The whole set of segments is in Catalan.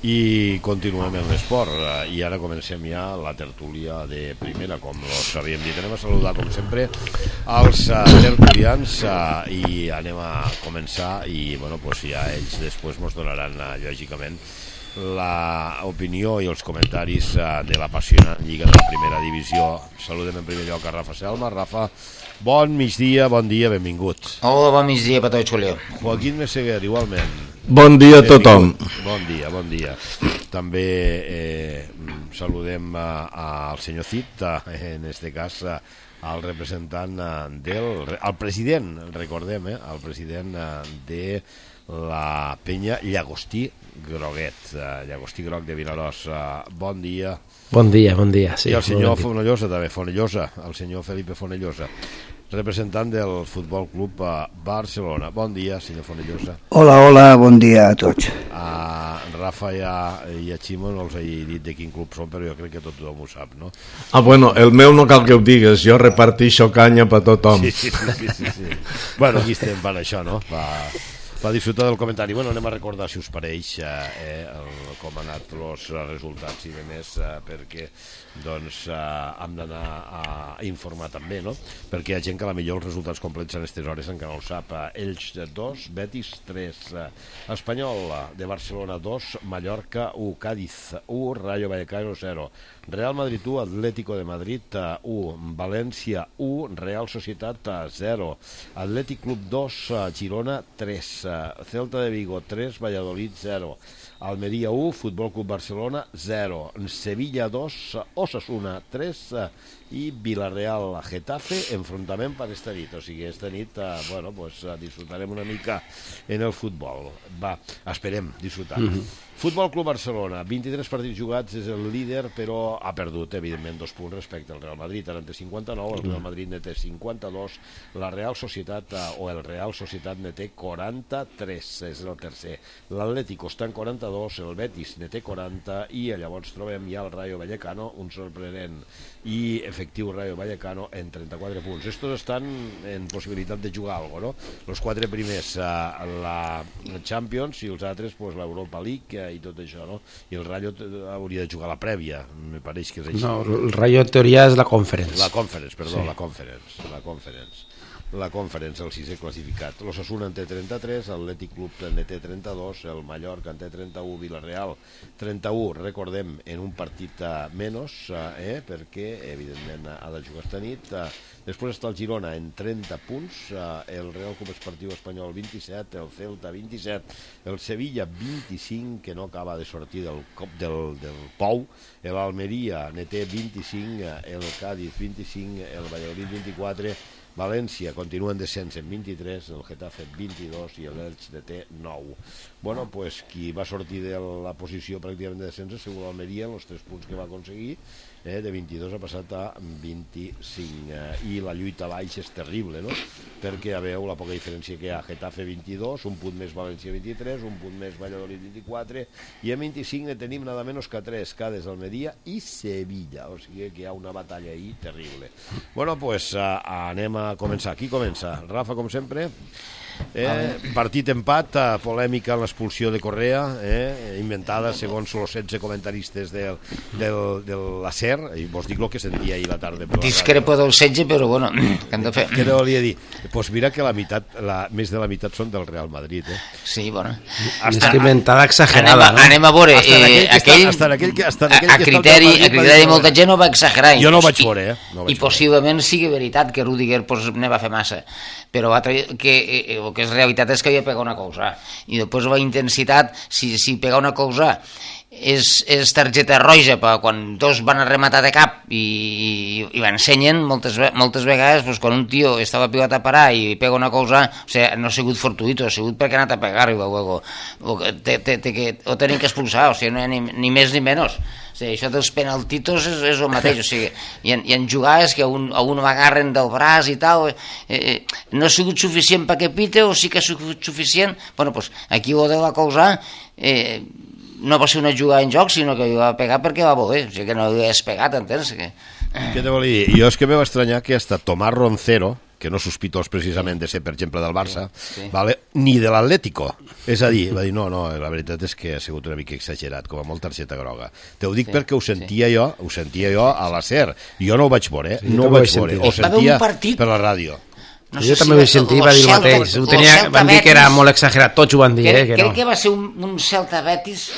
I continuem en l'esport i ara comencem ja la tertúlia de primera, com us havíem dit. Anem a saludar com sempre els tertulians i anem a començar i bueno, pues ja ells després ens donaran lògicament l'opinió i els comentaris de l'apassionant Lliga de la Primera Divisió. Saludem en primer lloc a Rafa Selma. Rafa, bon migdia, bon dia, benvingut. Hola, bon migdia, Pató i Xulio. Joaquín Meseguer, igualment. Bon dia a tothom. Bon dia, bon dia. També saludem al senyor Cid, en este cas al representant al president, recordem, el president de la penya Llagostí Groguet, Llagostí Groc de Vinaròs. Bon dia. Bon dia. Sí, i el senyor Fonellosa també, el senyor Felipe Fonellosa, representant del Futbol Club Barcelona. Bon dia, senyor Fonellosa. Hola, bon dia a tots. A Rafa i a Ximo no els he dit de quin club són, però jo crec que tothom ho sap, no? Bueno, el meu no cal que ho digues, jo repartixo canya per tothom. Sí. Bueno, aquí estem per això, no? Per disfrutar del comentari. Bueno, anem a recordar, si us pareix, com han anat els resultats i demés, perquè doncs hem d'anar a informar també, no? Perquè hi ha gent que a la millor els resultats complets en aquestes hores encara no ho sap. Elx 2, Betis 3, Espanyol de Barcelona 2, Mallorca 1, Cádiz 1, Rayo Vallecano 0, Real Madrid 1, Atlético de Madrid 1, València 1, Real Societat 0, Atlètic Club 2, Girona 3, Celta de Vigo 3, Valladolid 0, Almeria 1, Futbol Club Barcelona 0, Sevilla 2, Osasuna 3 i Villarreal Getafe, enfrontament per esta nit. O sigui, esta nit bueno, pues, disfrutarem una mica en el futbol. Va, esperem disfrutar. Futbol Club Barcelona, 23 partits jugats, és el líder, però ha perdut, evidentment, 2 punts respecte al Real Madrid. Ara en té 59, el Real Madrid ne té 52, la Real Societat, o el Real Societat ne té 43, és el tercer. L'Atlético està en 42, el Betis ne té 40, i llavors trobem ja el Rayo Vallecano, un sorprenent i efectiu Rayo Vallecano, en 34 punts. Estos estan en possibilitat de jugar alguna cosa, no? Els 4 primers a la Champions i els altres pues, l'Europa League i tot això, no? I el Rayo hauria de jugar la prèvia, me pareix que és així. No, el Rayo en teoria és la Conference. La Conference, perdó, sí. La Conference, el 6è classificat. L'Osasuna en té 33, l'Atlètic Club en té 32, el Mallorca en té 31, Villarreal 31, recordem, en un partit menys, perquè evidentment ha de jugar esta nit. Després està el Girona en 30 punts, el Real Club Esportiu Espanyol 27, el Celta 27, el Sevilla 25, que no acaba de sortir del cop del pou, l'Almeria ne té 25, el Cádiz 25, el Valladolid 24, València continua en descens en 23, el Getafe 22 i l'Elx ne té 9. Bueno, pues qui va sortir de la posició pràcticament de descens ha sigut l'Almeria, els 3 punts que va aconseguir, de 22 ha passat a 25, i la lluita baix és terrible, no? Perquè ja veu la poca diferència que hi ha. Getafe 22, un punt més València 23, un punt més Valladolid 24, i a 25 ne tenim nada menys que 3, Cádiz, Almeria i Sevilla, o sigui que hi ha una batalla ahí terrible. Bueno, pues anem a començar. Qui comença? Rafa, com sempre. Partit empat, polèmica en l'expulsió de Correa, inventada segons els 16 comentaristes de la SER, i vos dic el que sentia ahir la tarda. Discrepo del 16, però bueno, què hem de fer? Què te volia dir? Pues mira que més de la meitat són del Real Madrid. Sí, bueno. És que inventada exagerada, no? Anem a veure, a criteri de molta gent no va exagerar. Jo no ho vaig veure, I possiblement sigui veritat que Rüdiger ne va fer massa, però el que és realitat és que havia pegat una cosa, i després la intensitat, si pegar una cosa és targeta roja quan dos van a rematar de cap i l'ensenyen moltes vegades, doncs, quan un tio està la pilota a parar i pega una cosa, o sigui, no ha sigut fortuito, ha sigut perquè ha anat a pegar o tenen que expulsar, o sigui, no hi ha ni més ni menys. O sigui, això dels penaltitos és el mateix, o sigui, hi ha jugades que a un l'agarren del braç i tal, no ha sigut suficient perquè pite o sí que ha sigut suficient, bueno, doncs aquí ho de la cosa no va ser una jugada en joc, sinó que va pegar perquè va voler, o sigui que no hagués pegat, entens? Què te volia dir? Jo és que me va estranyar que hasta Tomàs Roncero, que no sospitós precisament de ser, per exemple, del Barça, vale? Ni de l'Atlético. És a dir, va dir, no, la veritat és que ha sigut una mica exagerat, com a molt targeta groga. Te ho dic perquè ho sentia jo a la SER. Jo no ho vaig veure, no ho vaig veure. Ho sentia per la ràdio. No jo també ho vaig sentir, va dir el mateix. Van dir que era molt exagerat, tots ho van dir. Crec que va ser un Celta Betis...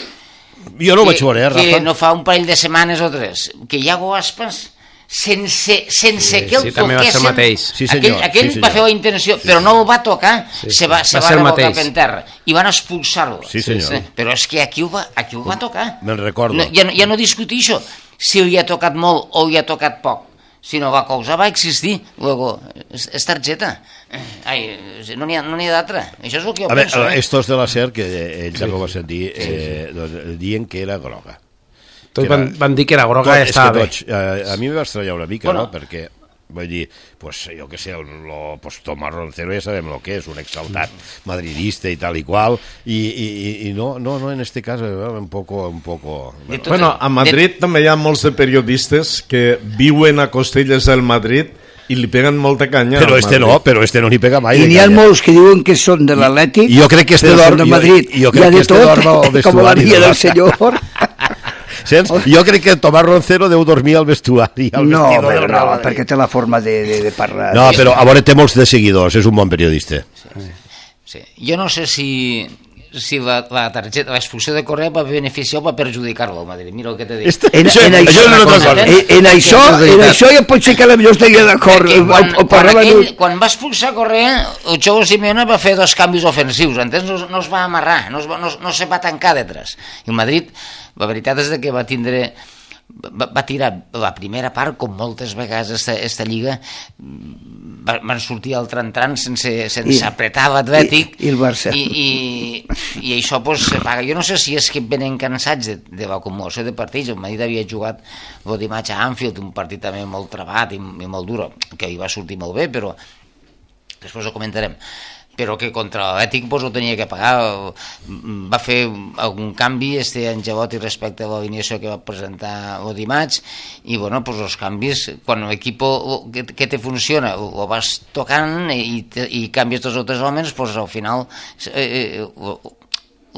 Jo no ho vaig veure, Rafa. Que no fa un parell de setmanes o 3, que Iago Aspas... sense que el toquessin, aquell va fer la intenció, però no el va tocar, se va revolcar per terra i van expulsar-lo. Però és que aquí ho va tocar. Me'n recordo. Ja no discutir això, si li ha tocat molt o li ha tocat poc, sinó la causa va existir. Luego, és targeta. No n'hi ha d'altra. Això és el que jo penso. Estos de la SER, que ells ja ho va sentir, diuen que era groga. Tots van dir que era groga i estava bé. A mi em va estranyar una mica, no? Perquè, vull dir, pues, jo què sé, Tomás Roncero ja sabem el que és, un exaltat madridista i tal i qual, i no, en este cas, un poco... Bueno, a Madrid també hi ha molts de periodistes que viuen a costelles del Madrid i li peguen molta canya. Però este no n'hi pega mai. I n'hi ha molts que diuen que són de l'Atlètic, jo crec que este dorm de Madrid, hi ha de tot, com la vida del senyor. Jo crec que Tomás Roncero deu dormir al vestuari. No, perquè té la forma de parlar. No, però a veure, té molts de seguidors, és un bon periodista. Jo no sé si la targeta, l'expulsió de Correa va beneficiar o va perjudicar-lo al Madrid. Mira el que t'he dit. En això ja pot ser que potser estaria d'acord. Quan va expulsar Correa, el Cholo Simeone va fer 2 canvis ofensius, entens? No es va amarrar, no se va tancar detrás. I el Madrid, la veritat és que va tirar la primera part, com moltes vegades esta lliga, van sortir al tran sense apretar l'Atlètic i el Barça i això pues, se paga. Jo no sé si és que venen cansats de l'acumulació de partits. El Madrid havia jugat el dimarts a Anfield, un partit també molt trebat i molt dur, que hi va sortir molt bé, però després ho comentarem, però que contra l'Atlètic pues, ho tenia que pagar. Va fer algun canvi Ancelotti respecte a l'alineació que va presentar el dimarts, i bueno, pues, els canvis, quan l'equip que te funciona ho vas tocant i canvies 2 o 3 homes, pues, al final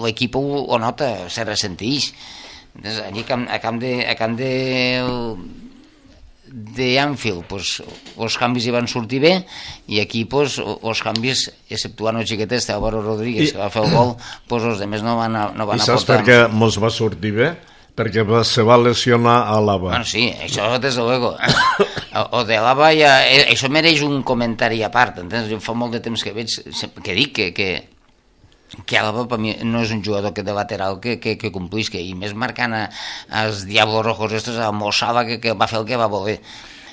l'equip ho nota, se ressenteix. Allí a camp de Anfield, pues, els canvis hi van sortir bé, i aquí pues, els canvis, exceptuant el xiquetet Álvaro Rodríguez, que va fer el gol, pues, els altres no van aportar. I saps per què mos va sortir bé? Perquè se va lesionar a Álava. Bueno, sí, això des de luego. O de Álava ja... Això mereix un comentari a part, entens? Jo fa molt de temps que veig, que dic que Álava per mi no és un jugador de lateral que complisca, i més marcant als Diablos Rojos estos, a Mossala, que va fer el que va voler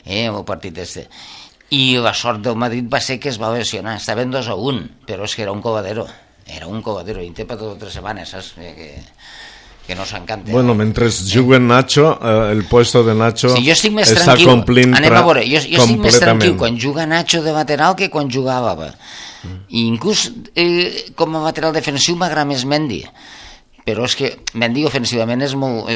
en el partit este. I la sort del Madrid va ser que es va lesionar, estaven 2-1, però és que era un covadero, i té per totes 3 setmanes, saps? Que no s'encanta. Bueno, mentre juguen Nacho, el puesto de Nacho està complint anem a veure, jo estic més tranquil quan juga Nacho de lateral que quan juga Álava. I inclús com a lateral defensiu m'agrada més Mendy, però és que Mendy ofensivament és molt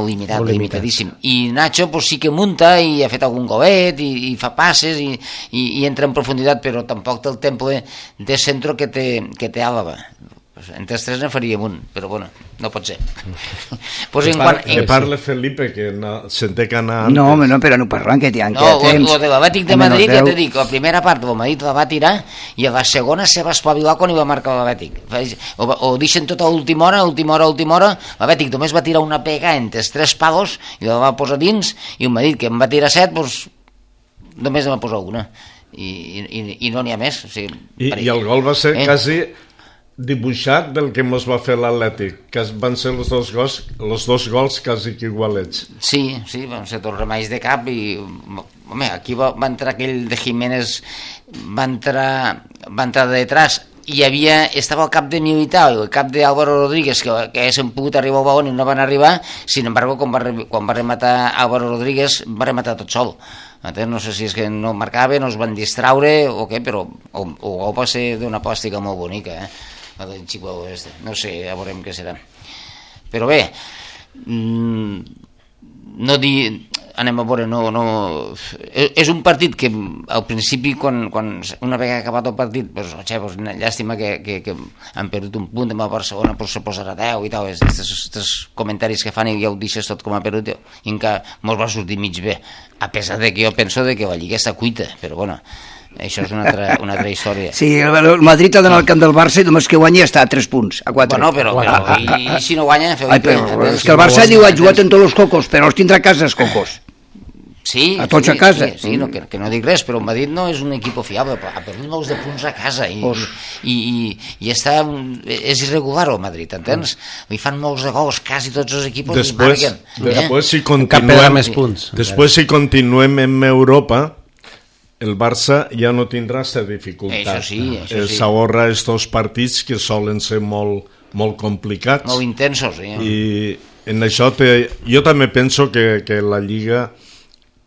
limitadíssim, i Nacho pues, sí que munta i ha fet algun golet i fa passes i entra en profunditat, però tampoc té el temple de centro que té Álava. Entre els 3 ne faríem un, però bueno, no pot ser. Que parle Felipe, que se'n té que anar antes. No, però no parlant, que hi ha temps. O de l'Atlètic de Madrid, ja t'he dit, la primera part del Madrid la va tirar i a la segona se va espavilar quan hi va marcar l'Atlètic. O deixen tot a última hora, l'Atlètic només va tirar una pega entre els 3 palos i la va posar dins, i el Madrid, que en va tirar 7, doncs només en va posar una. I no n'hi ha més. O sigui, I el gol va ser quasi dibuixat del que mos va fer l'Atlètic, que van ser els dos gols quasi que igualets. Sí, van ser dos remeis de cap, i home, aquí va entrar aquell de Jiménez, va entrar de detrás, i estava al cap de Militao i el cap d'Álvaro Rodríguez, que haguessin pogut arribar al balón i no van arribar. Sin embargo, quan va rematar Álvaro Rodríguez, va rematar tot sol. No sé si és que no marcava, no es van distraure o què, però el gol va ser d'una plàstica molt bonica, del Chihuahua este. No sé, ja veurem què serà. Però bé, anem a veure, és un partit que al principi, quan una vegada acabat el partit, llàstima que han perdut un punt amb el Barcelona, però se posarà 10 i tal, aquests comentaris que fan i ja ho deixes tot com a perdut, i encara mos va sortir mig bé, a pesar de que jo penso que la Lliga està cuita, però bueno, això és una altra història. Sí, el Madrid ha d'anar al camp del Barça i només que guanyi està a 3 punts, a 4. Bueno, però i si no guanya? És que el Barça diu ha jugat en tots els cocos, però els tindrà a casa els cocos. Sí, a tots a casa. Sí, que no dic res, però el Madrid no és un equip fiable, ha perdut molts de punts a casa i és irregular el Madrid, entens? Li fan molts de gols, quasi tots els equips marquen. Després si continuem en Europa, el Barça ja no tindrà aquesta dificultat. Això sí. S'ahorra estos partits que solen ser molt complicats. Molt intensos, sí. I en això jo també penso que la Lliga,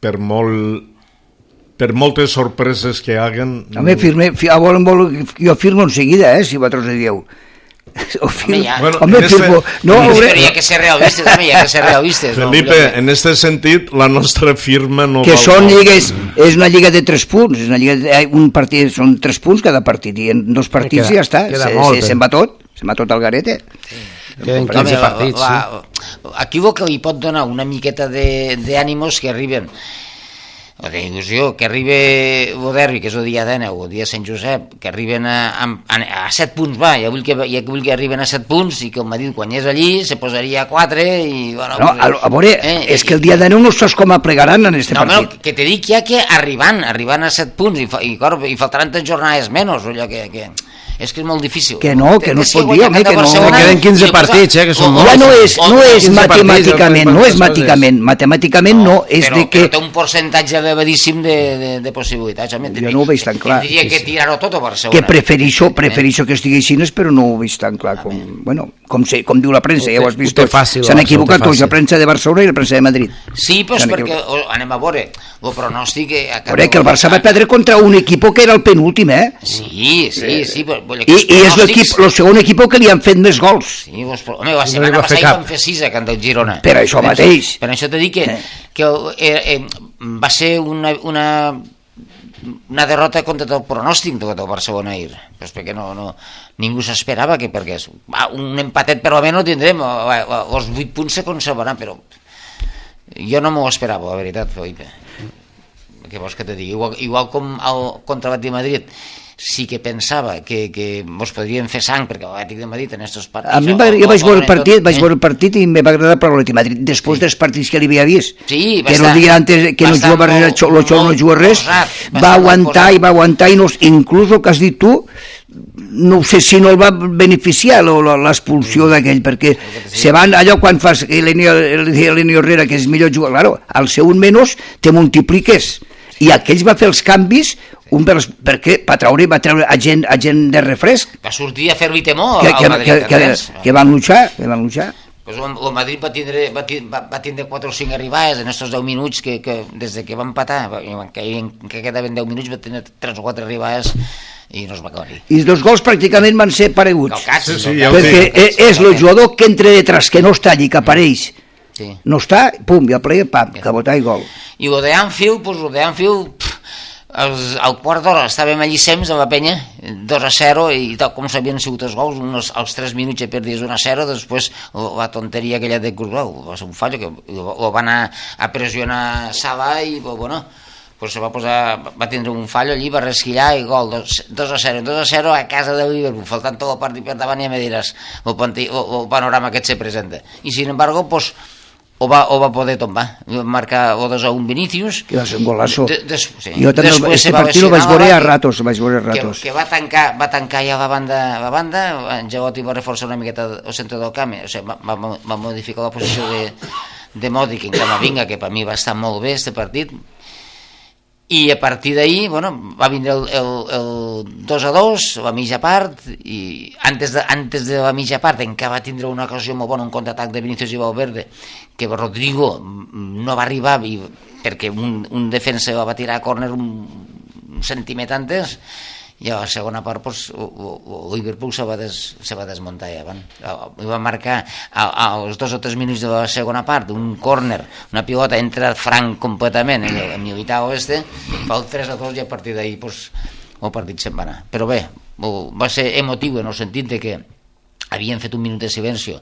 per moltes sorpreses que haguen... Home, jo firmo en seguida, si vosaltres ho dieu. Firmo. Però hi ha que ser realistes, Felipe, en este sentit, la nostra firma no que són lligues, és una lliga de 3 punts, és una lliga un partit, són 3 punts cada partit, i en 2 partits ja està, se'n va tot al garete. Queden 15 partits. Aquí el que li pot donar una miqueta d'ànimos que arriben, o d'il·lusió, que arriba el derbi, que és el dia d'Ena, o el dia de Sant Josep, que arriben a 7 punts, ja vull que arriben a 7 punts i que el Madrid guanyés allí, se posaria a 4 i... Bueno, a veure, és que el dia d'Ena no saps com aplegaran en este partit. Que te dic ja que arribant a 7 punts i faltaran 3 jornades menys, allò que... És que és molt difícil. Que no es pot dir, home, que no. Queden 15 partits, que són molts. Ja no és matemàticament no, és de que... Però té un percentatge elevadíssim de possibilitats, home. Jo no ho veig tan clar. Tindria que tirar-ho tot a Barcelona. Que prefereixo que estigui així, però no ho veig tan clar com diu la premsa, ja ho has vist tots. S'han equivocat tots, la premsa de Barcelona i la premsa de Madrid. Sí, però és perquè, anem a veure, el pronòstic... Veure que el Barça va perdre contra un equip que era el penúltim, Sí, però... I és el segon equip que li han fet més gols. Sí, home, la setmana passada hi van fer 6 a Can del Girona. Per això mateix. Per això t'he dit que va ser una derrota contra el pronòstic del Barcelona ahir, perquè ningú s'esperava que pergués. Un empatet per almenys no tindrem, els 8 punts se conservaran, però jo no m'ho esperava, la veritat, Felipe. Què vols que te digui? Igual com contra l'Atlètic de Madrid, sí que pensava que mos podrien fer sang perquè l'Atlètic de Madrid en aquests partits... A mi jo vaig veure el partit i em va agradar per l'Atlètic de Madrid després dels partits que li havia vist, que no dia antes que no jugava res, el Xolo no juga res, va aguantar i inclús el que has dit tu, no sé si no el va beneficiar l'expulsió d'aquell, perquè se van allò quan fas l'Elenio Herrera, que és millor jugar, claro, al segon menys te multipliques, i aquells va fer els canvis perquè va treure a gent de refresc, va sortir a fer-li temor al Madrid, que van luchar. Pues el Madrid va tindre 4 o 5 arribades en aquests 10 minuts que des que va empatar, que quedaven 10 minuts, va tenir 3 o 4 arribades i no es va acabar. I els 2 gols pràcticament van ser pareguts, perquè és el jugador que entra detrás, que no està allí, que apareix, no està, pum, i el player, pam, cabotar i gol. I el d'Anfield, al quart d'hora estàvem allí sems a la penya, 2-0, i tal com s'havien sigut els gols, als 3 minuts ja perdies 1-0, després la tonteria aquella de Courtois, va ser un fallo, que ho va anar a pressionar Salah i bueno, pues va tindre un fallo allí, va resquillar i gol, 2-0 a casa del Liverpool, faltant tot el partit per davant, ja me diràs el panorama que et se presenta. I sin embargo, pues o va poder tombar, marcar o 2-1 Vinícius, que va ser un golazo. Jo també aquest partit ho vaig veure a ratos, que va tancar ja la banda, en Giavotti va reforçar una miqueta el centre del camp, o sigui, va modificar la posició de Modric en Camavinga, que per mi va estar molt bé este partit, i a partir d'ahir, bueno, va vindre el 2-2, la mitja part, i antes de la mitja part encara va tindre una ocasió molt bona, un contraatac de Vinícius i Valverde, que Rodrigo no va arribar perquè un defensa va tirar a córner un centímetre antes, i a la segona part el Liverpool se va desmuntar i va marcar als 2 o 3 minuts de la segona part un córner, una pilota entra franc completament en Militao fa el 3-2 i a partir d'ahir el partit se'n va anar, però bé va ser emotiu en el sentit de que havien fet un minut de silenci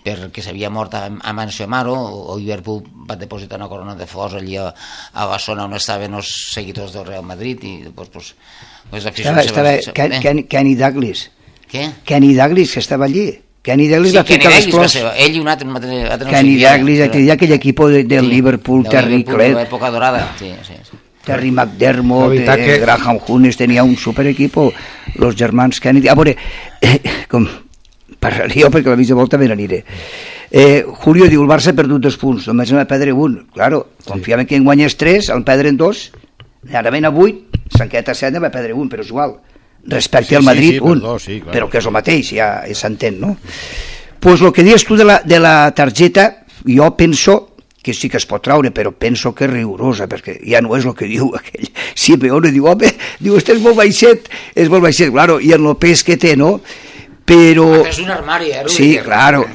perquè s'havia mort Amancio Amaro. El Liverpool va depositar una corona de flors allí a la zona on estaven els seguidors del Real Madrid i després les aficions... Estava Kenny Douglas. Què? Kenny Douglas, que estava allí. Kenny Douglas va ficar les flors. Ell i un altre Kenny Douglas, aquell equip del Liverpool, Terry Clett. De l'època dorada, sí. Terry McDermott, Graham Hunes, tenia un super equipo, los germans Kennedy. A veure, com parlaria perquè la mitja volta me n'aniré. Julio diu, el Barça ha perdut 2 punts, només en va perdre un. Claro, confiaven que en guanyés 3, en perdren 2, ara ven a 8, s'enqueta 7, va perdre un, però és igual. Respecte al Madrid, un. Però que és el mateix, ja s'entén, no? Pues el que dius tu de la targeta, jo penso que sí que es pot traure, però penso que és rigorosa, perquè ja no és el que diu aquell Simeone, diu, home, este és molt baixet, claro, i en el pes que té, no? Però... És un armari, Sí, claro.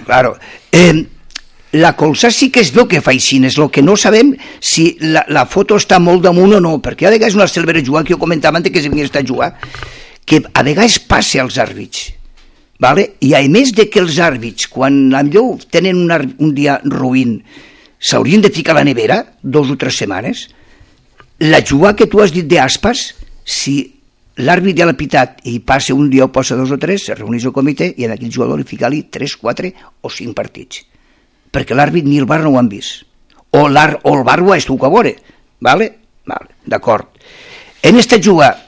La colza sí que es veu que fa així, és el que no sabem si la foto està molt damunt o no, perquè a vegades una celebra jugar, que jo comentava antes que s'havia estat a jugar, que a vegades passa als àrbits, vale? I a més de que els àrbits, quan millor tenen un dia ruïn, s'haurien de ficar a la nevera 2 o 3 setmanes, la jugada que tu has dit d'Aspas, si l'àrbit ja l'ha pitat i passa un dia o passa 2 o 3, se reuneix el comitè i en aquell jugador li fica-li 3, 4 o 5 partits, perquè l'àrbit ni el bar no ho han vist, o el bar ho ha estat a veure, vale? D'acord. En esta jugada,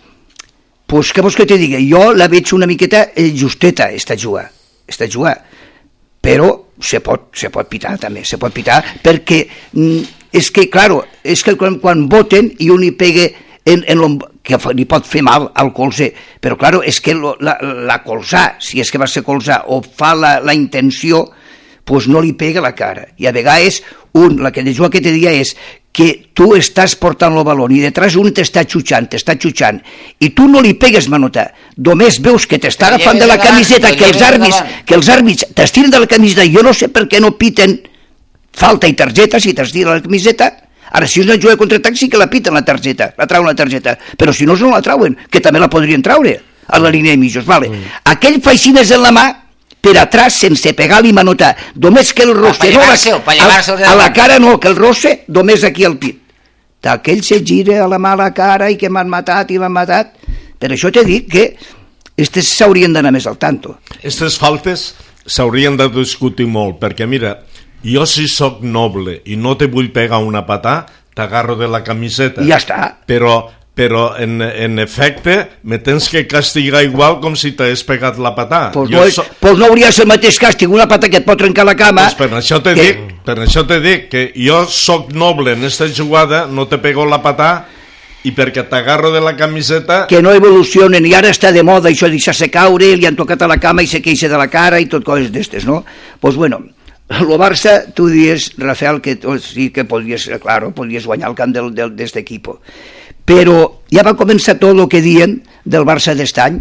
pues què vols que te digui? Jo la veig una miqueta justeta, esta jugada, però se pot pitar també, perquè és que, claro, és que quan voten i un hi pega que li pot fer mal al colze, però claro, és que la colzà, si és que va ser colzà o fa la intenció, pues no li pega la cara, i a vegades la que de jugar que te dia és que tu estàs portant el balón i detrás un t'està xutxant, i tu no li pegues manota, només veus que t'està agafant de la camiseta, que els àrbits t'estiren de la camiseta, i jo no sé per què no piten falta i targeta si t'estira la camiseta. Ara, si és una jugada contraatac, sí que la piten la targeta, la trauen la targeta, però si no la trauen, que també la podrien traure a la línia de mitjos, vale. Aquell faixines en la mà, per atrás, sense pegar-li manota, només que el rosse, a la cara no, que el rosse, només aquí al pit. Aquell se gira a la mà a la cara i que m'han matat, per això t'he dit que estes s'haurien d'anar més al tanto. Aquestes faltes s'haurien de discutir molt, perquè mira, jo si sóc noble i no te vull pegar una patà, t'agarro de la camiseta. I ja està. Però en efecte me tens que castigar igual com si t'hagués pegat la patà. Pues no hauria de ser el mateix càstig, una patà que et pot trencar la cama. Pues per això te dic que jo sóc noble en esta jugada, no te pego la patà, i perquè t'agarro de la camiseta... Que no evolucionen, i ara està de moda això de deixar-se caure, li han tocat a la cama i se queixa de la cara i tot coses d'estes, no? Pues bueno, el Barça, tu dius, Rafael, que sí que podries guanyar el camp d'este equipo, però ja va començar tot el que diuen del Barça d'est any,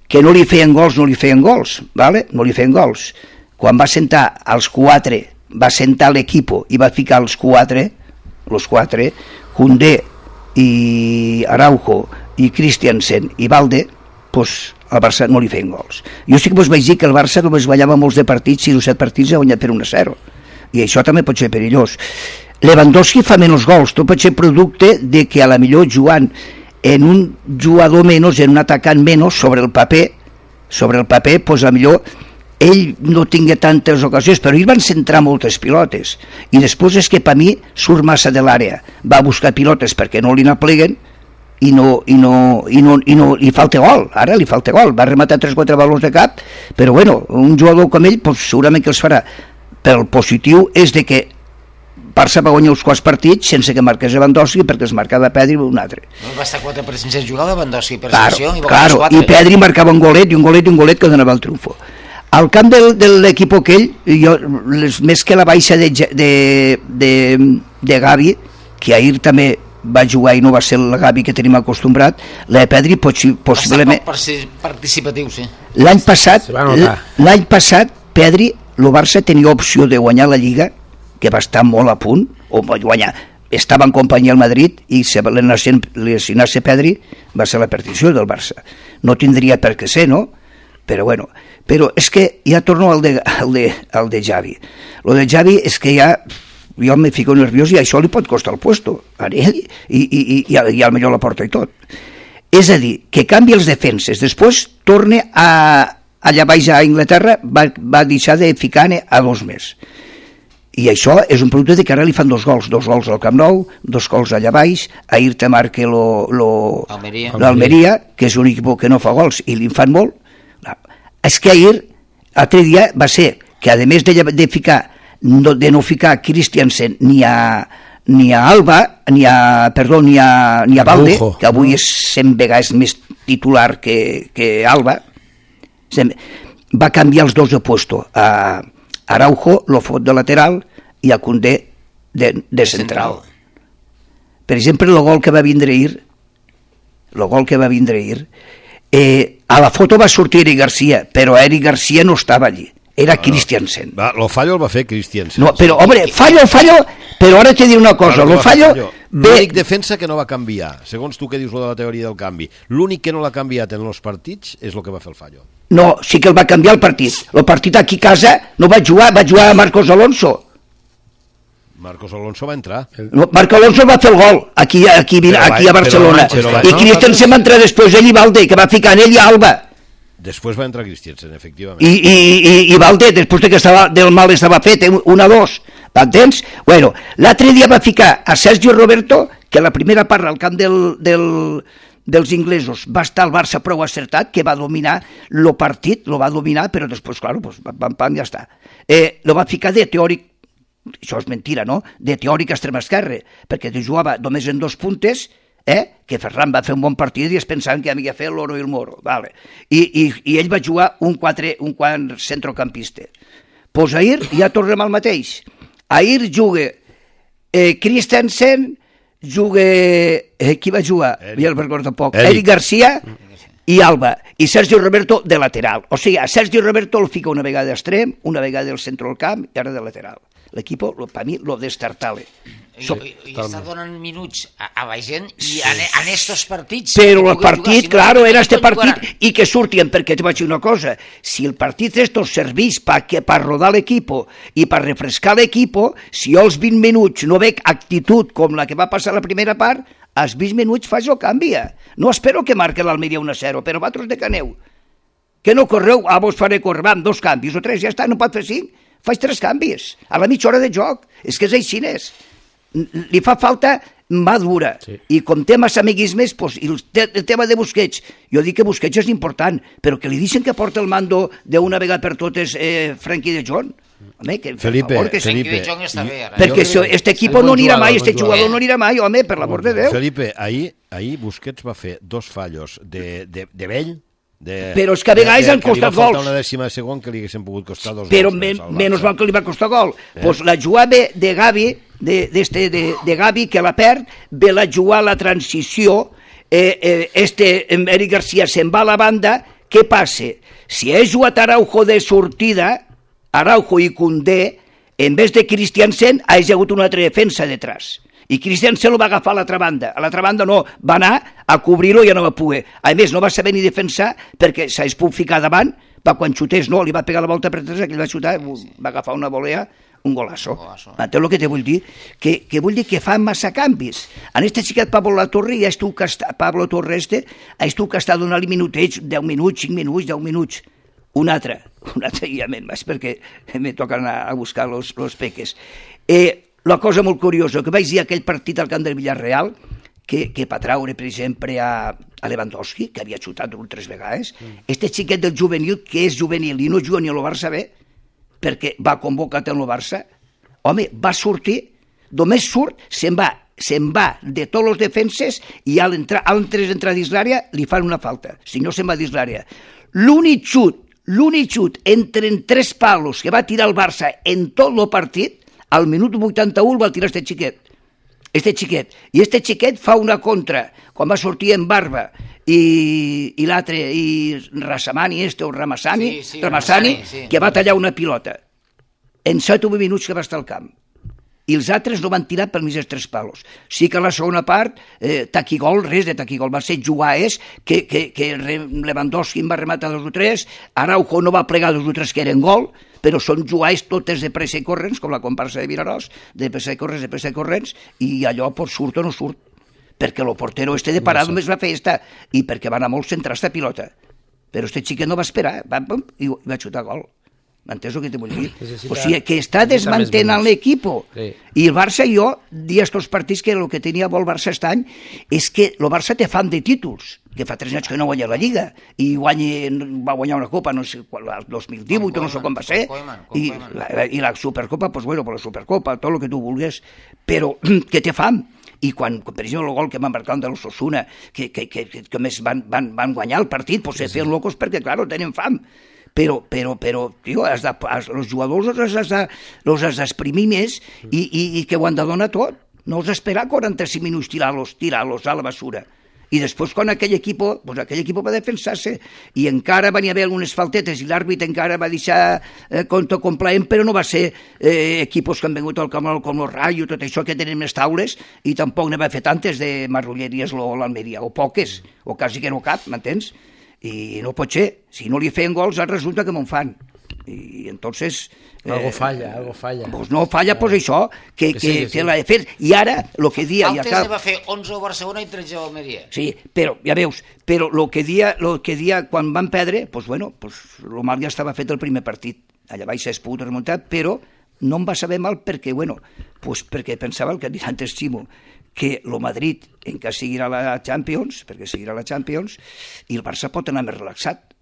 que no li feien gols, ¿vale? No li feien gols. Quan va sentar els 4, va sentar l'equipo i va ficar els 4, Koundé i Araujo i Christiansen i Balde, pues al Barça no li feien gols. Jo sí que vos vaig dir que el Barça només guanyava molts de partits, 6 o 7 partits ha guanyat per 1-0, i això també pot ser perillós. Lewandowski fa menys gols, tot pot ser producte de que a la millor jugant en un jugador menys, en un atacant menys, sobre el paper, pues a millor ell no tingué tantes ocasions, però ells van centrar moltes pilotes, i després és que per mi surt massa de l'àrea, va buscar pilotes perquè no li n'apleguen, i li falta gol, ara li falta gol, va rematar 3-4 valors de cap, però bueno, un jugador com ell pues, segurament que els farà, però el positiu és de que Barça va guanyar uns quants partits sense que marqués Lewandowski, perquè es marcava Pedri un altre. No, va estar 4 partits sense jugar Lewandowski per selecció, i Pedri marcava un golet que donava el triomfo. Al camp de l'equip aquell, més que la baixa de Gavi, que ahir també va jugar i no va ser el Gavi que tenim acostumbrat. La Pedri possiblement... Va ser participatiu, sí. L'any passat, Pedri, el Barça tenia opció de guanyar la Lliga, que va estar molt a punt, o va guanyar. Estava en companyia al Madrid i si lesionar-se Pedri va ser la perdició del Barça. No tindria per què ser, no? Però bueno, però és que ja torno al de Xavi. Lo de Xavi és que ja... Jo me fico nerviós i això li pot costar el puesto a ell i al millor la porta i tot. És a dir, que canvi els defenses, després torna allà baix a Anglaterra, va deixar de ficar-ne a 2 més. I això és un producte de que ara li fan 2 gols al Camp Nou, 2 gols allà baix, ahir te marca l'Almeria, que és un equip que no fa gols i li fan molt. És que ahir, l'altre dia, va ser que a més de ficar de no ficar Christiansen ni a Alba, ni a Valde, que avui és 100 vegades més titular que Alba, va canviar els dos de puesto. A Araujo lo fot de lateral i a Koundé de central. Per exemple, el gol que va vindre ahir, a la foto va sortir Eric Garcia, però Eric Garcia no estava allí. Era Christiansen. Lo fallo el va fer Christiansen. No, però, home, fallo, però ara t'he de dir una cosa. L'únic defensa que no va canviar, segons tu que dius de la teoria del canvi, l'únic que no l'ha canviat en els partits és el que va fer el fallo. No, sí que el va canviar el partit. El partit aquí a casa no va jugar Marcos Alonso. Marcos Alonso va entrar. No, Marcos Alonso va fer el gol aquí a Barcelona. I Christiansen va entrar després ell i Valde, que va ficar en ell i Alba. Després va entrar Christiansen, efectivament. I Valde, després que del mal estava fet, 1-2, m'entens? Bueno, l'altre dia va ficar a Sergio Roberto, que la primera part al camp dels inglesos va estar el Barça prou acertat, que va dominar el partit, lo va dominar, però després, clar, pues, pam, ja està. Lo va ficar de teòric, això és mentira, no?, de teòric extrem esquerre, perquè jugava només en 2 puntes, que Ferran va fer un bon partit i es pensaven que havia fet l'oro i el moro, vale. I ell va jugar un quart centrocampista. Pues ahir ja tornem al mateix. Ahir juga Christensen, juga qui va jugar? Ja el recordo poc. Eric Garcia i Alba, i Sergio Roberto de lateral. O sigui, a Sergio Roberto el fica una vegada d'extrem, una vegada del centre del camp i ara de lateral. L'equip, per mi, lo destartale. I està donant minuts a la gent i en estos partits... Però el partit, claro, era este partit i que surtien, perquè te vaig dir una cosa, si el partit estos servís per rodar l'equip i per refrescar l'equip, si jo als 20 minuts no veig actitud com la que va passar la primera part, als 20 minuts faig el canvi. No espero que marque l'Almeria 1-0, però vosaltres de què aneu? Que no correu? Vos faré córrer, vam, 2 canvis o 3, ja està, no pot fer 5. Faig 3 canvis, a la mitja hora de joc. És que és així, li fa falta madura, sí. I com té massa amiguismes, pues, el tema de Busquets, jo dic que Busquets és important, però que li deixen que porta el mando d'una vegada per totes Frenkie de Jong. Home, que, Felipe, perquè este equip no anirà mai, este jugador no anirà mai, home, per l'amor de Déu. Felipe, ahir Busquets va fer 2 fallos de vell, però és que a vegades han costat gols. Li va faltar una dècima de segon que li haguessin pogut costar 2 gols. Però menys mal que li va costar gol. Pues la jugada de Gavi, de Gavi, que la perd, ve la jugar la transició, Eric Garcia se'n va a la banda, què passa? Si he jugat Araujo de sortida, Araujo i Koundé, en vez de Christiansen, ha hagut una altra defensa detrás. I Christiansen lo va agafar a l'altra banda. A l'altra banda no, va anar a cobrir-lo i ja no va poder. A més, no va saber ni defensar perquè s'hagués pogut ficar davant, va quan xutés, no, li va pegar la volta per tres, que li va xutar, va agafar una volea, un golazo. Entens el que te vull dir? Que vull dir que fan massa canvis. En este xiquet Pablo Torre ha estat castat donar-li minutets, 10 minuts, 5 minuts, 10 minuts. Un altre ja més, perquè me toca anar a buscar los peques. La cosa molt curiosa, que vaig dir aquell partit al camp del Villarreal, que per traure, per exemple, a Lewandowski, que havia xutat 3 vegades, este xiquet del juvenil, que és juvenil i no juga ni a lo Barça bé, perquè va convocat en el Barça, home, va sortir, només surt, se'n va de tots els defenses i al entrar dins l'àrea li fan una falta, si no se'n va dins l'àrea. L'únic xut entre 3 palos que va tirar el Barça en tot el partit, al minut 81 el va tirar este xiquet. este xiquet. I este xiquet fa una contra, quan va sortir en Barba i l'altre, i Rasamani, o Ramassani, que va tallar una pilota. En 7 o 8 minuts que va estar al camp. I els altres no van tirar per més dels 3 palos. Sí que a la segona part, taquigol, res de taquigol, va ser jugar que Lewandowski en va rematar 2 o 3, Araujo no va plegar 2 o 3 que eren gol, però són jugades totes de pressa i corrents, com la comparsa de Vinaròs, de pressa i corrents, i allò surt o no surt, perquè el portero de parar només va fer i perquè va anar molt centrar esta pilota. Però este xiquet no va esperar, i va xutar gol. M'entens el que te vull dir? O sigui, que està desmantenant l'equip. I el Barça, jo, dia estos partits que el que tenia bo el Barça aquest any és que el Barça té fam de títols, que fa 3 anys que no guanya la Lliga, i va guanyar una copa, no sé, el 2018, no sé com va ser, i la Supercopa, doncs bueno, la Supercopa, tot el que tu vulguis, però que té fam. I quan, per exemple, el gol que van marcar de l'Osasuna, que més van guanyar el partit, doncs se feien locos perquè, clar, tenen fam. Però, tio, els jugadors els has d'exprimir més i que ho han de donar tot. No has d'esperar 45 minuts tirar-los a la basura. I després, quan aquell equip va defensar-se i encara van haver algunes faltetes i l'àrbit encara va deixar compte complaent, però no va ser equipos que han vengut al camp com el Rayo, tot això que tenen més taules, i tampoc ne va fer tantes de marrulleries l'Almeria, o poques, o quasi que no cap, m'entens? I no pot ser, si no li feien gols resulta que me'n fan, i entonces algo falla pues no falla, pues això que l'ha de fer, i ara el que dia Altes va fer 11 a Barcelona i 13 a Almeria, sí, però ja veus, però el que dia quan van perdre, pues bueno, el mal ja estava fet el primer partit, allà baix s'ha pogut remuntar, però no em va saber mal perquè, bueno, pues perquè pensava el que ha dit antes Ximo, que el Madrid encara seguirà la Champions, perquè seguirà la Champions, i el Barça pot anar més relaxat,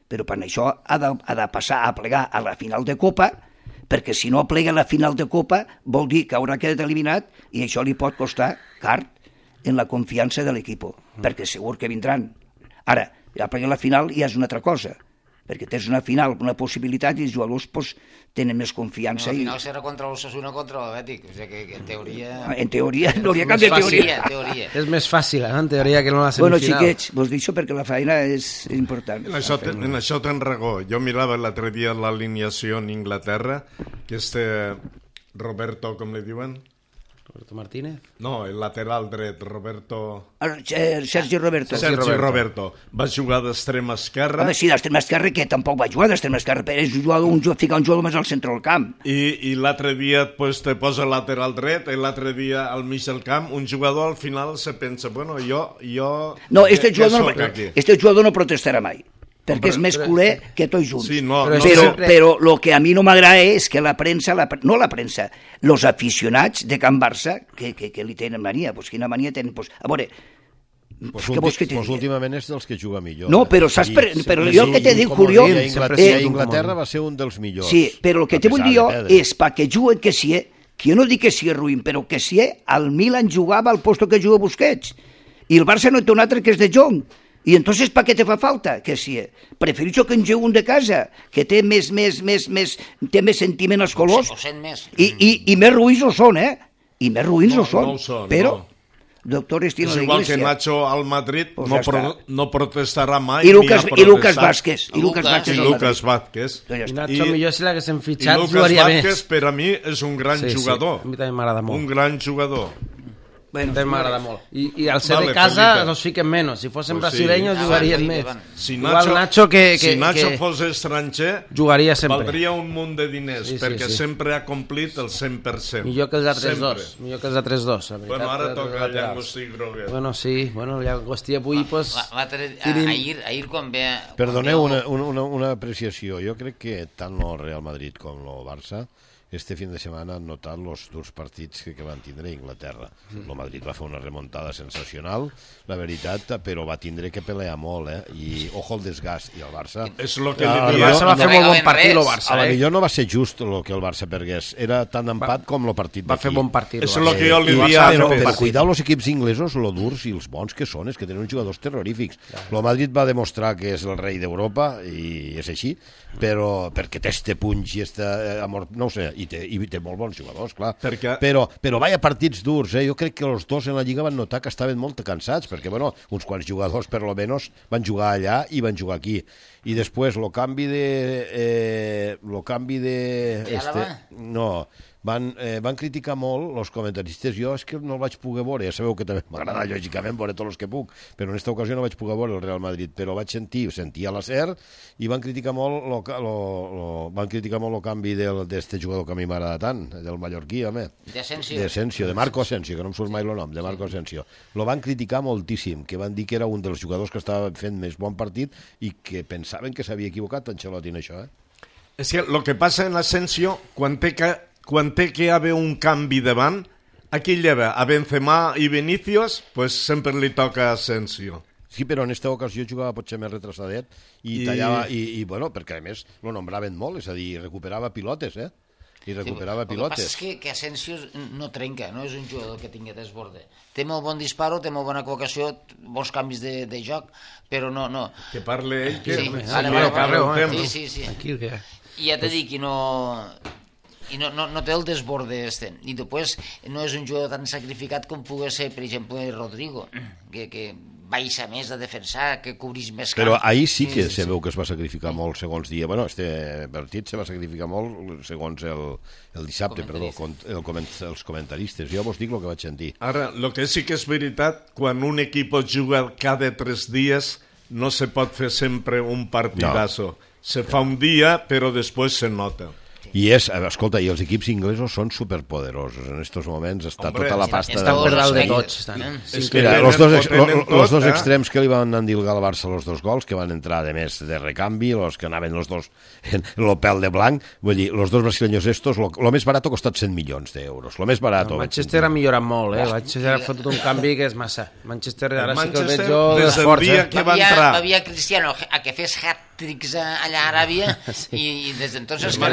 però per això ha de passar a plegar a la final de Copa, perquè si no plega a la final de Copa vol dir que haurà quedat eliminat i això li pot costar car en la confiança de l'equip, perquè segur que vindran. Ara, ja plegar a la final ja és una altra cosa, perquè tens una final, una possibilitat, i els jugadors tenen més confiança. La final serà contra l'Osasuna, contra l'Atlètic, o sigui que en teoria... En teoria, no hauria cap de teoria. És més fàcil, en teoria, que no la semifinal. Bueno, xiquets, vos dic això perquè la feina és important. En això tens raó. Jo mirava l'altre dia l'alineació en Inglaterra, que Roberto, com li diuen? Roberto Martínez? No, el lateral dret, Sergi Roberto. Va jugar d'extrem esquerre. Home, sí, d'extrem esquerre, que tampoc va jugar d'extrem esquerre, però és ficar un jugador més al centre del camp. I l'altre dia te posa lateral dret, i l'altre dia al mig del camp, un jugador al final se pensa, bueno, jo... No, este jugador no protestarà mai, perquè és més culer que tots junts. Sí, però el que a mi no m'agrada és que la premsa, els aficionats de Can Barça, que li tenen mania, doncs quina mania tenen? A veure, últimament és dels que juga millor. No, però saps, però jo el que t'he dit, Julio... A Inglaterra va ser un dels millors. Sí, però el que t'he vull dir jo és perquè juguen que si que jo no dic que si és ruïn, però que si al Milan jugava al posto que juga Busquets, i el Barça no té un altre que és de Jong. I entonces per què te fa falta? Que si prefereixo que en jugui un de casa, que té més sentiment als colors, i més ruïns ho són, i més ruïns ho són, però doctor Estino de Iglesia. És igual que Nacho al Madrid no protestarà mai. I Lucas Vázquez. I Lucas Vázquez. I Nacho millor si l'haguessin fitxat jugaria més. I Lucas Vázquez per a mi és un gran jugador. A mi també m'agrada molt. Un gran jugador. També m'agrada molt. I al ser de casa nos fiquen menys. Si fossin brasileños jugarien més. Si Nacho fos estranger, jugaria sempre. Valdria un munt de diners, perquè sempre ha complit el 100%. Millor que els altres dos. Bueno, ara toca Llagostí Groguet. Bueno, sí, Llagostí avui... Ahir quan ve... Perdoneu una apreciació. Jo crec que tant el Real Madrid com el Barça este fin de setmana han notat els durs partits que van tindre a Inglaterra. El Madrid va fer una remuntada sensacional, la veritat, però va tindre que pelear molt, i ojo el desgast. I el Barça... El Barça va fer molt bon partit, el Barça. A la millor no va ser just el que el Barça pergués. Era tan empat com el partit d'aquí. Va fer bon partit. És el que jo li dia... Però cuidau els equips inglesos, lo durs i els bons que són, és que tenen uns jugadors terrorífics. El Madrid va demostrar que és el rei d'Europa, i és així, però perquè té este punx i este amor... No ho sé, i té molt bons jugadors, clar. Però vaya partits durs, Jo crec que els dos en la Lliga van notar que estaven molt cansats, perquè, bueno, uns quants jugadors, per lo menos, van jugar allà i van jugar aquí. I després, el canvi de... No, van criticar molt els comentaristes. Jo és que no el vaig poder veure, ja sabeu que també m'agrada lògicament veure tots els que puc, però en aquesta ocasió no vaig poder veure el Real Madrid, però vaig sentir a la SER i van criticar molt el canvi d'este jugador que a mi m'agrada tant, del mallorquí, home. De Marco Asensio, que no em surt mai el nom, de Marco Asensio. Lo van criticar moltíssim, que van dir que era un dels jugadors que estava fent més bon partit i que pensaven que s'havia equivocat Ancelotti en això, És que el que passa en Asensio, quan té que haver un canvi davant, a qui lleva? A Benzema i Vinícius? Pues sempre li toca a Asensio. Sí, però en aquesta ocasió jugava potser més retrasadet i tallava, i bueno, perquè a més lo nombraven molt, és a dir, recuperava pilotes, i recuperava pilotes. El que passa és que Asensio no trenca, no és un jugador que tingui desborde. Té molt bon disparo, té molt bona col·locació, bons canvis de joc, però no... Que parle ell, que... Sí. I ja t'he dit que no té el desborde este. I després no és un jugador tan sacrificat com pugui ser, per exemple, Rodrigo, que baixa més a defensar, que cobrís més camp. Però ahir sí que se veu que es va sacrificar molt, segons dia. Bueno, este partit se va sacrificar molt, segons el dissabte, els comentaristes. Jo vos dic el que vaig sentir. Ara, el que sí que és veritat, quan un equip juga cada 3 dies, no se pot fer sempre un partidazo. No. Se fa un dia, però després se nota. I escolta, i els equips inglesos són superpoderosos. En aquests moments està tota la pasta... Estan per dalt de tots. Els dos extrems que li van endilgar al Barça els 2 gols, que van entrar de més de recanvi, els que anaven els dos en el pèl de blanc, vull dir, els dos brasileños estos, lo més barat ha costat 100 milions d'euros. Lo més barat... Manchester ha millorat molt, Manchester ha fotut un canvi que és massa. Manchester, ara sí que el veig jo d'esforç. Havia Cristiano a que fes hat-tricks allà a Aràbia i des d'entonces que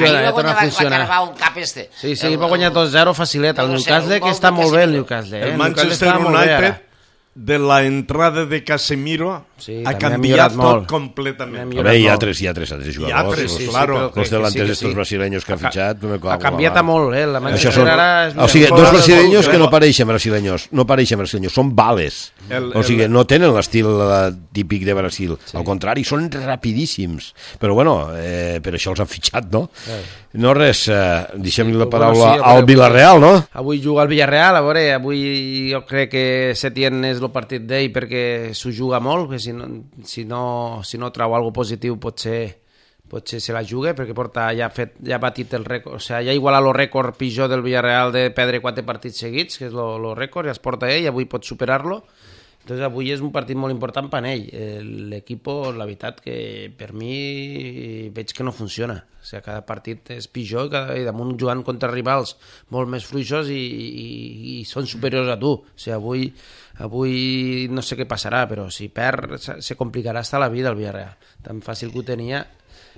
torna a funcionar. Sí, va guanyar 2-0 facilet. El Newcastle, que està molt bé, el Newcastle. El Manchester United, de la entrada de Casemiro, ha canviat tot completament. Hi ha tres jugadors. Los delanteros estos brasileños que han fitxat. Ha canviat molt, la Manchester ara... O sigui, dos brasileños que no pareixen brasileños, són bales. O sigui, no tenen l'estil típic de Brasil. Al contrari, són rapidíssims. Però bueno, per això els han fitxat, no? No res, deixem-li la paraula al Villarreal, no? Avui juga al Villarreal, a veure, avui jo crec que Setién és el partit d'ell perquè s'ho juga molt, que si no trau alguna cosa positiu potser se la juga, perquè ja ha batit el rècord, o sigui, ja ha igualat el rècord pitjor del Villarreal de perdre 4 partits seguits, que és el rècord, ja es porta ell, avui pot superar-lo. Entonces avui és un partit molt important per ell. L'equip, la veritat que per mi veig que no funciona. O sigui, cada partit és pitjor i damunt jugant contra rivals molt més fluixos i són superiors a tu. O sigui, avui no sé què passarà, però si perd se complicarà hasta la vida el Villarreal. Tan fàcil que ho tenia,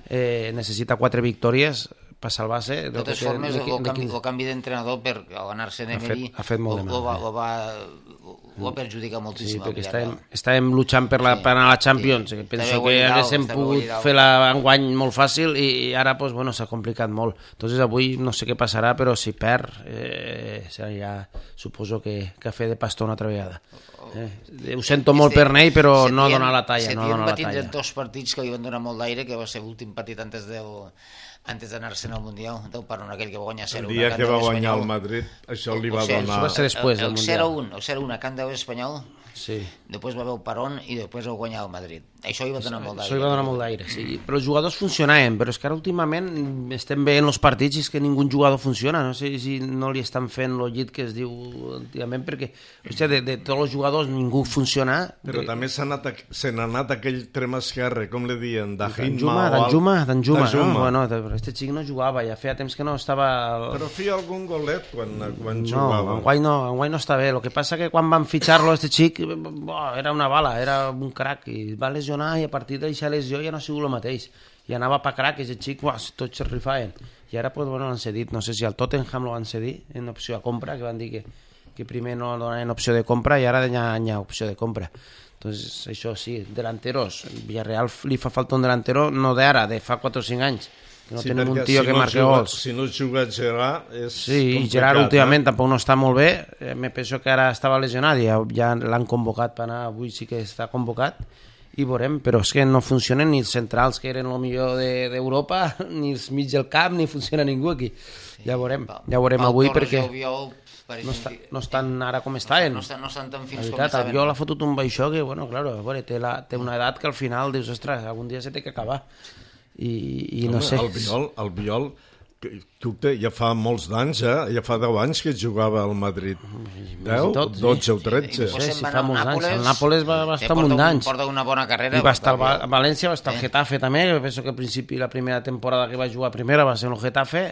necessita 4 victòries per salvar-se. De totes formes, el canvi d'entrenador per anar-se en Emery ho va perjudicar moltíssim. Sí, perquè estàvem luchant per anar a la Champions. Penso que haguéssim pogut fer-la enguany molt fàcil i ara s'ha complicat molt. Entonces avui no sé què passarà, però si perd ja suposo que ha fet de pastor una altra vegada. Ho sento molt per ell, però no dona la talla. Setien va tindre 2 partits que li van donar molt d'aire, que va ser l'últim partit antes d'anar-se'n al Mundial, del parón aquell que va guanyar 0-1. El dia que va guanyar el Madrid, això li va donar... Això va ser després del Mundial. El 0-1 a Camp Nou espanyol, després va haver el parón i després va guanyar el Madrid. Això li va donar molt d'aire. Això li va donar molt d'aire, sí. Però els jugadors funcionaven, però és que ara últimament estem veient els partits i és que ningú jugador funciona. No sé si no li estan fent el llit que es diu últimament, perquè de tots els jugadors ningú funciona. Però també se n'ha anat aquell trem esquerre, com li diuen, Danjuma. Bueno, este xic no jugava, ja feia temps que no estava... Però feia algun golet quan jugava. No, enguany no està bé. El que passa que quan van fitxar-lo, este xic, era una bala, era un crac, i va lesionar i a partir d'aquesta lesió ja no ha sigut el mateix. I anava per crac, aquest xic, tots es rifaven. I ara l'han cedit, no sé si al Tottenham l'han cedit en opció de compra, que van dir que primer no donaven opció de compra i ara ja hi ha opció de compra. Entonces, això sí, delanteros. Villarreal li fa falta un delantero, no d'ara, de fa 4 o 5 anys. No tenim un tio que marca gols. Si no juga Gerard és sí, i Gerard últimament tampoc no està molt bé. Me penso que ara estava lesionat i ja l'han convocat per anar, avui sí que està convocat i veurem, però és que no funcionen ni els centrals que eren el millor d'Europa, ni els mig del camp, ni funciona ningú aquí. Ja veurem avui perquè no estan ara com estaven. No estan tan fins com estaven. Albiol ha fotut un baixó que, bueno, claro, té una edat que al final dius, ostres, algun dia se té que acabar. I no sé. Albiol ja fa molts d'anys, ja fa 10 anys que jugava al Madrid. 10, 12 o 13. Sí, fa molts anys. El Nàpoles va estar un munt d'anys. Porta una bona carrera. I va estar a València, va estar al Getafe també. Jo penso que al principi, la primera temporada que va jugar primera va ser el Getafe.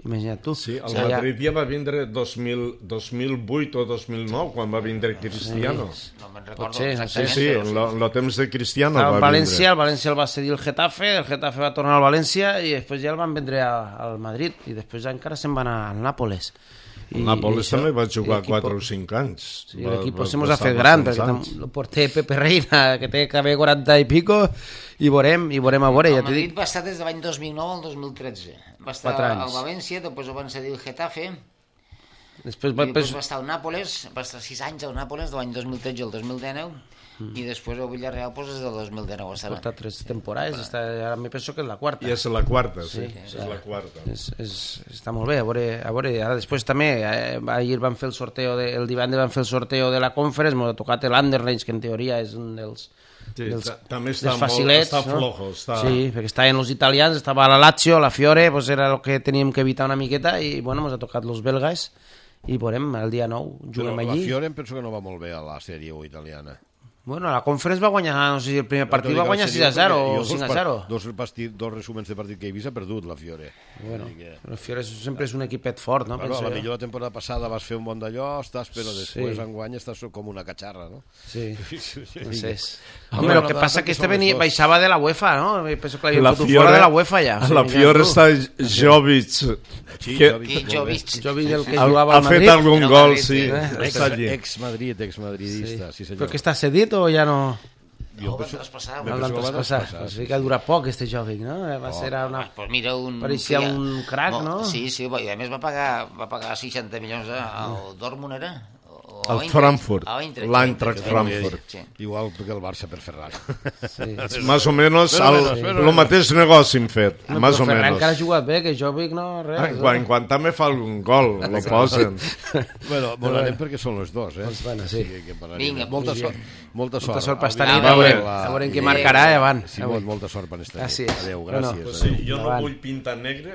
Imagina't tu. Sí, el Madrid ja va vindre 2008 o 2009, quan va vindre Cristiano. No me'n recordo. Sí, en el temps de Cristiano va vindre. El València el va cedir el Getafe va tornar al València i després ja el van vendre al Madrid i després encara se'n va anar al Nàpoles. El Nàpoles també va jugar 4 o 5 anys. Sí, l'equip se mos ha fet gran, perquè el porter Pepe Reina, que té que haver 40 i pico, i veurem a veure. El Madrid va estar des de l'any 2009 al 2013. Va estar al València, després ho van cedir el Getafe, després va estar al Nàpoles, va estar 6 anys al Nàpoles, de l'any 2013 al 2019, i després el Villarreal des del 2019 estava. Porta 3 temporades, ara me penso que és la quarta. I és la quarta, sí. És la quarta. Està molt bé, a veure, ara després també, ahir van fer el sorteo, el divendres van fer el sorteo de la Conference, m'ha tocat l'Anderlecht, que en teoria és un dels també està facilets, està flojo. Sí, perquè estaven els italians, estava la Lazio, la Fiore, era el que teníem que evitar una miqueta, i bueno, ens ha tocat els belgues, i veurem, el dia 9 juguem allí. Però la Fiore em penso que no va molt bé a la sèrie italiana. Bueno, la Conference va guanyar, no sé si el primer partit va guanyar 6-0 o 5-0. Dos resuments de partit que he vist ha perdut la Fiore. Bueno, la Fiore sempre és un equipet fort, no? Claro, a la millor la temporada passada vas fer un bon d'allò, però després enguany estàs com una catxarra, no? Sí, no sé. Home, el que passa que baixava de la UEFA, no? Penso que l'havien fotut fora de la UEFA ja. A la Fiore està Jovic. Jovic, el que jugava al Madrid. Ha fet algun gol, sí. Ex-madridista, sí senyor. Però que està cedit o ja no? El van traspassar. El van traspassar. O sigui que ha durat poc, este Jovic, no? Va ser una... Pareixia un crac, no? Sí, i a més va pagar 60 milions al Dortmund, era? Al Frankfurt, l'Eintracht Frankfurt. Igual que el Barça per Ferran. Más o menos el mateix negoci hem fet. Más o menos. Ferran encara ha jugat bé, que Jovic no... En quan també fa algun gol, lo posen. Bueno, volarem perquè són els dos, Bueno, sí. Vinga, molta sort. Molta sort per estar a veure qui marcarà i avant. Molta sort per estar. Gràcies. Adéu, gràcies. Jo no vull pintar negre,